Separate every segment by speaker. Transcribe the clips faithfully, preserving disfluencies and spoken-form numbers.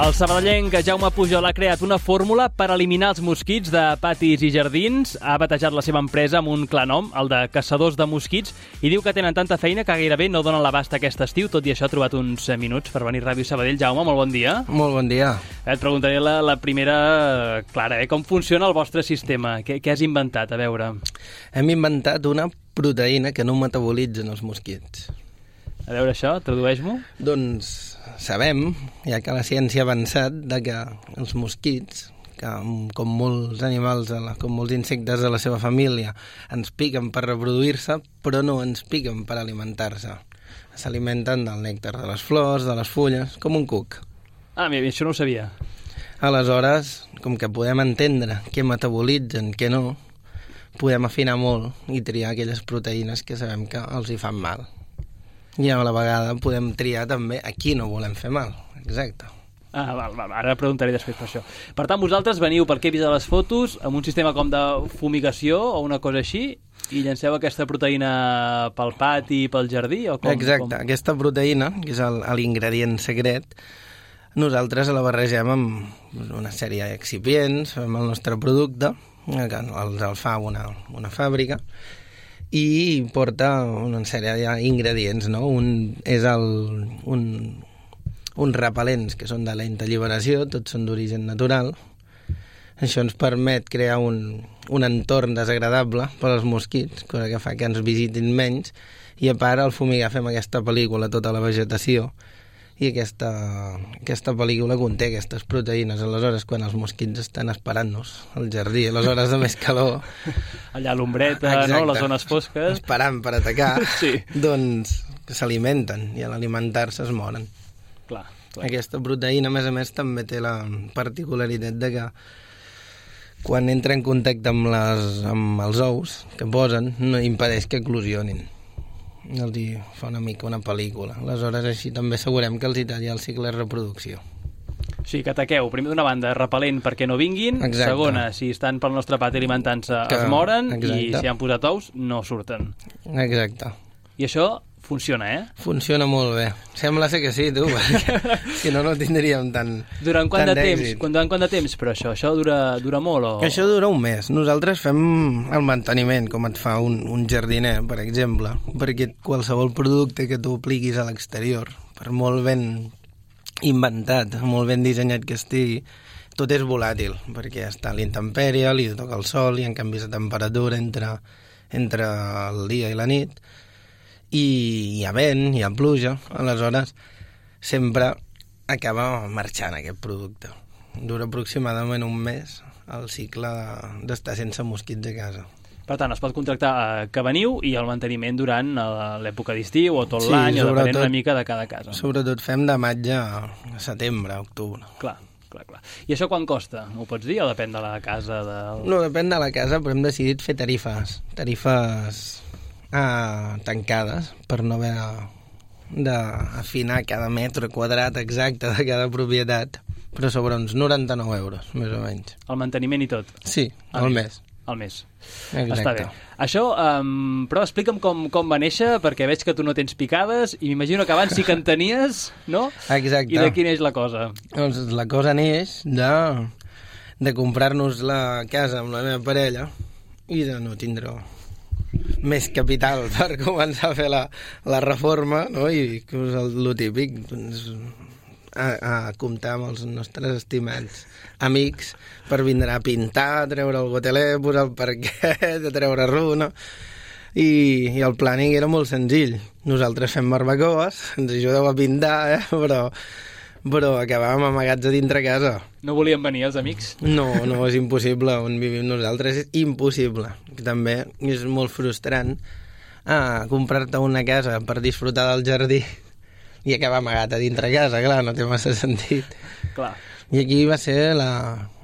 Speaker 1: El sabadellenc Jaume Pujol ha creat una fórmula per eliminar els mosquits de patis i jardins. Ha batejat la seva empresa amb un clar nom, el de Caçadors de Mosquits, i diu que tenen tanta feina que gairebé no donen l'abast aquest estiu. Tot i això ha trobat uns minuts per venir a Ràdio Sabadell. Jaume, molt bon dia.
Speaker 2: Molt bon dia.
Speaker 1: Et preguntaré la, la primera, Clara, eh? Com funciona el vostre sistema? Què, què has inventat? A veure.
Speaker 2: Hem inventat una proteïna que no metabolitzen els mosquits.
Speaker 1: A veure això, tradueix-m'ho.
Speaker 2: Doncs sabem, ja que la ciència ha avançat, de que els mosquits, que com molts animals, com molts insectes de la seva família, ens piquen per reproduir-se, però no ens piquen per alimentar-se. S'alimenten del nèctar de les flors, de les fulles, com un cuc.
Speaker 1: Ah, mira, això no ho sabia.
Speaker 2: Aleshores, com que podem entendre què metabolitzen, què no, podem afinar molt i triar aquelles proteïnes que sabem que els hi fan mal. I a la vegada podem triar també a qui no volem fer mal. Exacte.
Speaker 1: Ah, val, val, ara preguntaré després per això. Per tant, vosaltres veniu, perquè he vist a les fotos, amb un sistema com de fumigació o una cosa així, i llanceu aquesta proteïna pel pati, pel jardí? O com,
Speaker 2: Exacte.
Speaker 1: Com...
Speaker 2: Aquesta proteïna, que és l'ingredient secret, nosaltres la barregem amb una sèrie d'excipients, amb el nostre producte, que els el fa una, una fàbrica, i porta una sèrie d'ingredients, no? Un és el, un, uns repel·lents que són de lenta alliberació, tots són d'origen natural. Això ens permet crear un, un entorn desagradable per als mosquits, cosa que fa que ens visitin menys, i a part al fumigar fem aquesta pel·lícula a tota la vegetació, i aquesta, aquesta pel·lícula conté aquestes proteïnes. Aleshores, quan els mosquits estan esperant-nos al jardí, a les hores de més calor...
Speaker 1: Allà a l'ombreta, no? Les zones fosques...
Speaker 2: Esperant per atacar,
Speaker 1: sí.
Speaker 2: Doncs s'alimenten, i a l'alimentar-se es moren.
Speaker 1: Clar, clar.
Speaker 2: Aquesta proteïna, a més a més, també té la particularitat de que quan entra en contacte amb, les, amb els ous que posen, no impedeix que eclosionin. Els hi fa una mica una pel·lícula. Aleshores, així també assegurem que els hi talla el cicle de reproducció.
Speaker 1: O sigui, que ataqueu, primer d'una banda, repel·lent perquè no vinguin,
Speaker 2: exacte.
Speaker 1: Segona, si estan pel nostre pati alimentant-se, que... es moren, exacte. I si han posat ous, no surten.
Speaker 2: Exacte.
Speaker 1: I això funciona, eh?
Speaker 2: Funciona molt bé. Sembla ser que sí, tu, perquè si no, no tindríem tant
Speaker 1: Durant quant
Speaker 2: tant
Speaker 1: de temps? Durant quant de temps, però això? Això dura, dura molt o...?
Speaker 2: Això dura un mes. Nosaltres fem el manteniment, com et fa un, un jardiner, per exemple, perquè qualsevol producte que tu apliquis a l'exterior, per molt ben inventat, molt ben dissenyat que estigui, tot és volàtil, perquè està a l'intempèrie, li toca el sol, hi ha canvis de temperatura entre, entre el dia i la nit, i hi ha vent, hi ha pluja, aleshores sempre acaba marxant aquest producte. Dura aproximadament un mes el cicle d'estar sense mosquits a casa.
Speaker 1: Per tant, es pot contractar eh, que veniu i el manteniment durant l'època d'estiu o tot
Speaker 2: sí,
Speaker 1: l'any, o depenent una mica de cada casa.
Speaker 2: Sobretot fem de maig a setembre, a octubre.
Speaker 1: Clar, clar, clar. I això quan costa? Ho pots dir o depèn de la casa? Del...
Speaker 2: No, depèn de la casa, però hem decidit fer tarifes. Tarifes ah, tancades, per no haver d'afinar cada metre quadrat exacte de cada propietat, però sobre uns noranta-nou euros, més o menys.
Speaker 1: El manteniment i tot?
Speaker 2: Sí, al mes.
Speaker 1: Al mes.
Speaker 2: Exacte.
Speaker 1: Està bé. Això, um, però explica'm com, com va néixer, perquè veig que tu no tens picades, i m'imagino que abans sí que en tenies, no?
Speaker 2: Exacte.
Speaker 1: I de quina és la cosa?
Speaker 2: Doncs la cosa neix de, de comprar-nos la casa amb la meva parella i de no tindre més capital per començar a fer la, la reforma, no? I que és el, el típic, doncs, a, a comptar amb els nostres estimats amics per vindre a pintar, a treure el goteler, posar el parquet, a treure runa, i, i el planning era molt senzill. Nosaltres fem barbacoes, ens ajudeu a pintar, eh? però, però acabàvem amagats a dintre casa.
Speaker 1: No volien venir els amics?
Speaker 2: No, no, és impossible. On vivim nosaltres és impossible. També és molt frustrant ah, comprar-te una casa per disfrutar del jardí i acabar amagat a dintre casa, clar, no té massa sentit.
Speaker 1: Clar.
Speaker 2: I aquí va ser la,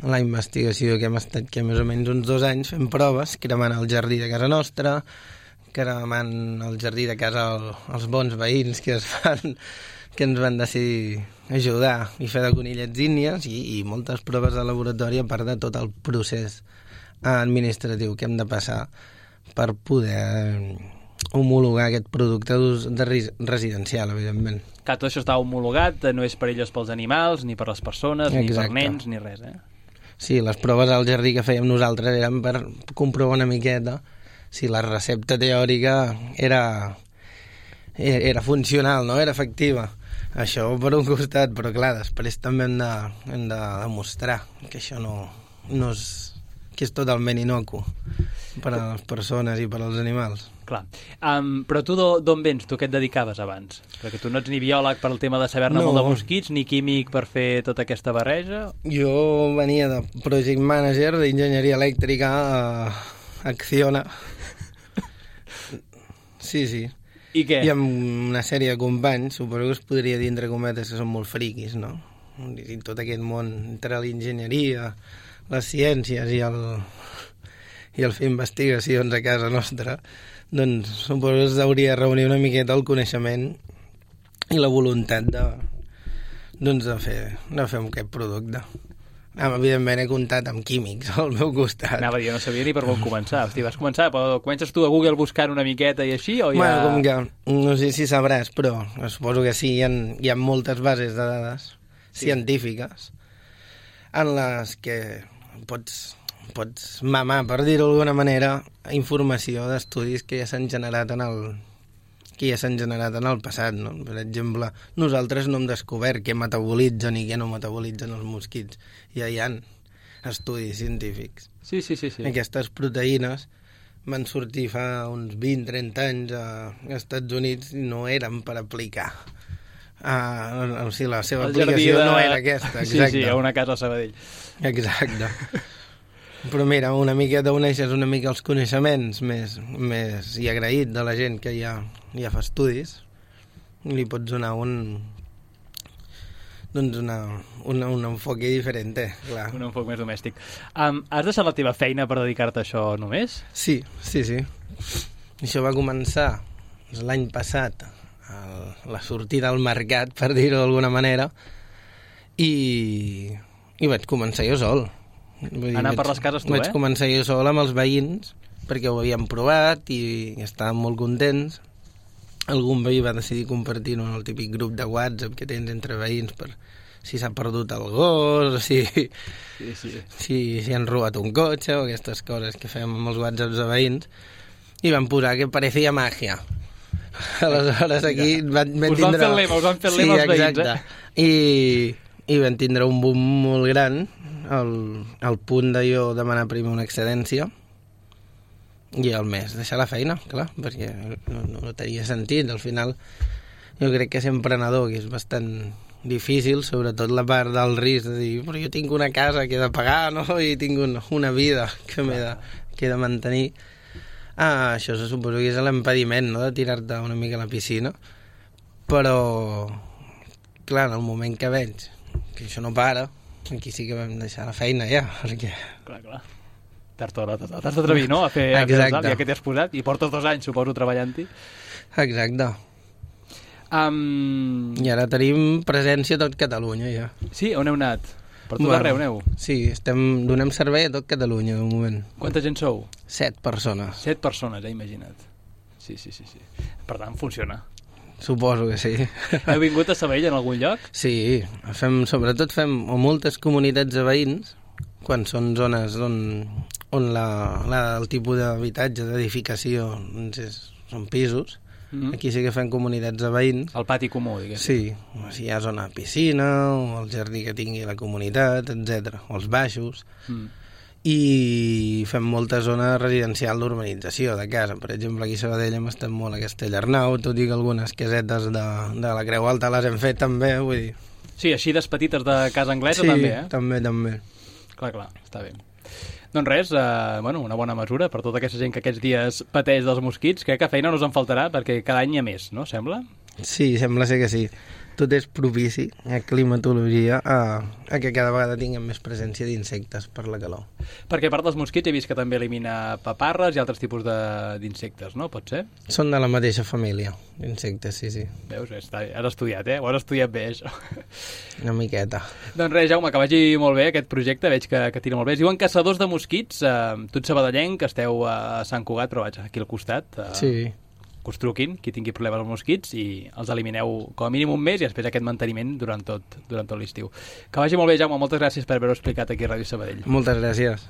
Speaker 2: la investigació que hem estat que més o menys uns dos anys fent proves, cremant el jardí de casa nostra, cremant el jardí de casa el, els bons veïns que es fan, que ens van decidir ajudar i fer de conillets índies i, i moltes proves de laboratori a part de tot el procés administratiu que hem de passar per poder homologar aquest producte d'ús de residencial, evidentment.
Speaker 1: Que tot això està homologat, no és perillós pels animals, ni per les persones, ni
Speaker 2: Exacte.
Speaker 1: per nens, ni res, eh?
Speaker 2: Sí, les proves al jardí que fèiem nosaltres eren per comprovar una miqueta si la recepta teòrica era, era funcional, no? Era efectiva. Això per un costat, però clar, després també hem de, hem de demostrar que això no, no és, que és totalment inocu per a les persones i per als animals.
Speaker 1: Clar. Um, però tu d'on vens? Tu què et dedicaves abans? Perquè tu no ets ni biòleg per al tema de saber-ne
Speaker 2: No.
Speaker 1: molt de mosquits, ni químic per fer tota aquesta barreja.
Speaker 2: Jo venia de Project Manager d'Enginyeria Elèctrica a Acciona. Sí, sí.
Speaker 1: I què?
Speaker 2: I amb una sèrie de companys, suposo que es podria dir entre cometes que són molt friquis, no? I tot aquest món entre l'enginyeria, les ciències i el, i el fer investigacions a casa nostra, doncs suposo que es hauria de reunir una miqueta el coneixement i la voluntat de, doncs de, fer, de fer aquest producte. Ah, evidentment he comptat amb químics al meu costat.
Speaker 1: Anava a dir, no sabia ni per on començar. Hosti, vas començar, però comences tu a Google buscant una miqueta i així, o ja...
Speaker 2: Bueno, com que, no sé si sabràs, però suposo que sí, hi ha, hi ha moltes bases de dades sí. científiques en les que pots, pots mamar, per dir-ho d'alguna manera, informació d'estudis que ja s'han generat en el que ja s'han generat en el passat, no? Per exemple, nosaltres no hem descobert què metabolitzen i què no metabolitzen els mosquits. Ja hi ha estudis científics.
Speaker 1: Sí, sí, sí, sí.
Speaker 2: Aquestes proteïnes van sortir fa uns vint a trenta anys als Estats Units i no eren per aplicar. Uh, o sigui, la seva
Speaker 1: El
Speaker 2: aplicació
Speaker 1: jardí de...
Speaker 2: no era aquesta, exacte.
Speaker 1: Sí, sí, a una casa a Sabadell.
Speaker 2: Exacte. Però mira, una miqueta uneixes una mica els coneixements més, més i agraït de la gent que ja, ja fa estudis i li pots donar un doncs una, una, un enfoque diferent, clar.
Speaker 1: Un enfoc més domèstic. Um, has deixat la teva feina per dedicar-te a això només?
Speaker 2: Sí, sí, sí. Això va començar l'any passat, el, la sortida al mercat, per dir-ho d'alguna manera, i, i vaig començar jo sol. Vull dir,
Speaker 1: Anar
Speaker 2: vaig,
Speaker 1: per les cases tu,
Speaker 2: vaig
Speaker 1: eh?
Speaker 2: Vaig començar jo sol amb els veïns, perquè ho havíem provat i estàvem molt contents. Algun veí va decidir compartir-ho en el típic grup de WhatsApp que tens entre veïns per si s'ha perdut el gos, si,
Speaker 1: sí, sí.
Speaker 2: si, si han robat un cotxe o aquestes coses que fem amb els WhatsApps de veïns, i van posar que parecía magia. Aleshores aquí van, van
Speaker 1: us
Speaker 2: tindre...
Speaker 1: van fer el lema, us van fer el lema
Speaker 2: sí,
Speaker 1: els veïns,
Speaker 2: exacte.
Speaker 1: eh?
Speaker 2: I, i van tindre un boom molt gran al, al punt de jo demanar primer una excedència i al mes deixar la feina, clar, perquè no, no tenia sentit. Al final jo crec que ser emprenedor, que és bastant difícil, sobretot la part del risc de dir, però jo tinc una casa que he de pagar, no? I tinc un, una vida que m'he de, que he de mantenir. Ah, això se suposo que és l'impediment, no?, de tirar-te una mica a la piscina, però clar, en el moment que veig que això no para, aquí sí que vam deixar la feina ja, perquè...
Speaker 1: Clar, clar. T'has d'atrevir, no?, a fer, a fer el salt, ja que t'has posat, i portes dos anys, suposo, treballant-hi.
Speaker 2: Exacte.
Speaker 1: Um...
Speaker 2: I ara tenim presència a tot Catalunya, ja.
Speaker 1: Sí? On heu anat? Per tot
Speaker 2: bueno,
Speaker 1: arreu aneu?
Speaker 2: Sí, estem, donem servei a tot Catalunya, de moment.
Speaker 1: Quanta gent sou?
Speaker 2: Set persones.
Speaker 1: Set persones, eh, imagina't. Sí, sí, sí, sí. Per tant, funciona.
Speaker 2: Suposo que sí.
Speaker 1: Heu vingut a Sabadell en algun lloc?
Speaker 2: Sí, fem, sobretot fem o moltes comunitats de veïns, quan són zones on, on la, la, el tipus d'habitatge, d'edificació, doncs és, són pisos. Mm-hmm. Aquí sí que fem comunitats de veïns.
Speaker 1: El pati comú, diguéssim.
Speaker 2: Sí, si hi ha zona de piscina, o el jardí que tingui la comunitat, etcètera, o els baixos. Mm. I fem molta zona residencial d'urbanització de casa. Per exemple, aquí a Sabadell hem estat molt a Castellarnau, tot i que algunes casetes de, de la Creu Alta les hem fet també, vull dir.
Speaker 1: Sí, així des petites de casa anglesa
Speaker 2: sí,
Speaker 1: també, eh?
Speaker 2: Sí, també, també.
Speaker 1: Clar, clar, està bé. Doncs res, eh, bueno, una bona mesura per tota aquesta gent que aquests dies pateix dels mosquits. Crec que feina no us en faltarà perquè cada any hi ha més, no? Sembla?
Speaker 2: Sí, sembla ser que sí. Tot és propici, a climatologia, a, a que cada vegada tinguem més presència d'insectes per la calor.
Speaker 1: Perquè a part dels mosquits he vist que també elimina paparres i altres tipus d'insectes, no? Pot ser?
Speaker 2: Són de la mateixa família, d'insectes, sí, sí.
Speaker 1: Veus? Està, has estudiat, eh? Ho has estudiat bé, això.
Speaker 2: Una miqueta.
Speaker 1: Doncs res, Jaume, que vagi molt bé aquest projecte, veig que, que tira molt bé. Es diuen Caçadors de Mosquits, eh, tu ets sabadellenc, que esteu a Sant Cugat, però vaja, aquí al costat. Eh,
Speaker 2: sí.
Speaker 1: que us truquin, qui tingui problemes amb mosquits, i els elimineu com a mínim un mes i després aquest manteniment durant tot, durant tot l'estiu. Que vagi molt bé, Jaume, moltes gràcies per haver-ho explicat aquí a Ràdio Sabadell.
Speaker 2: Moltes gràcies.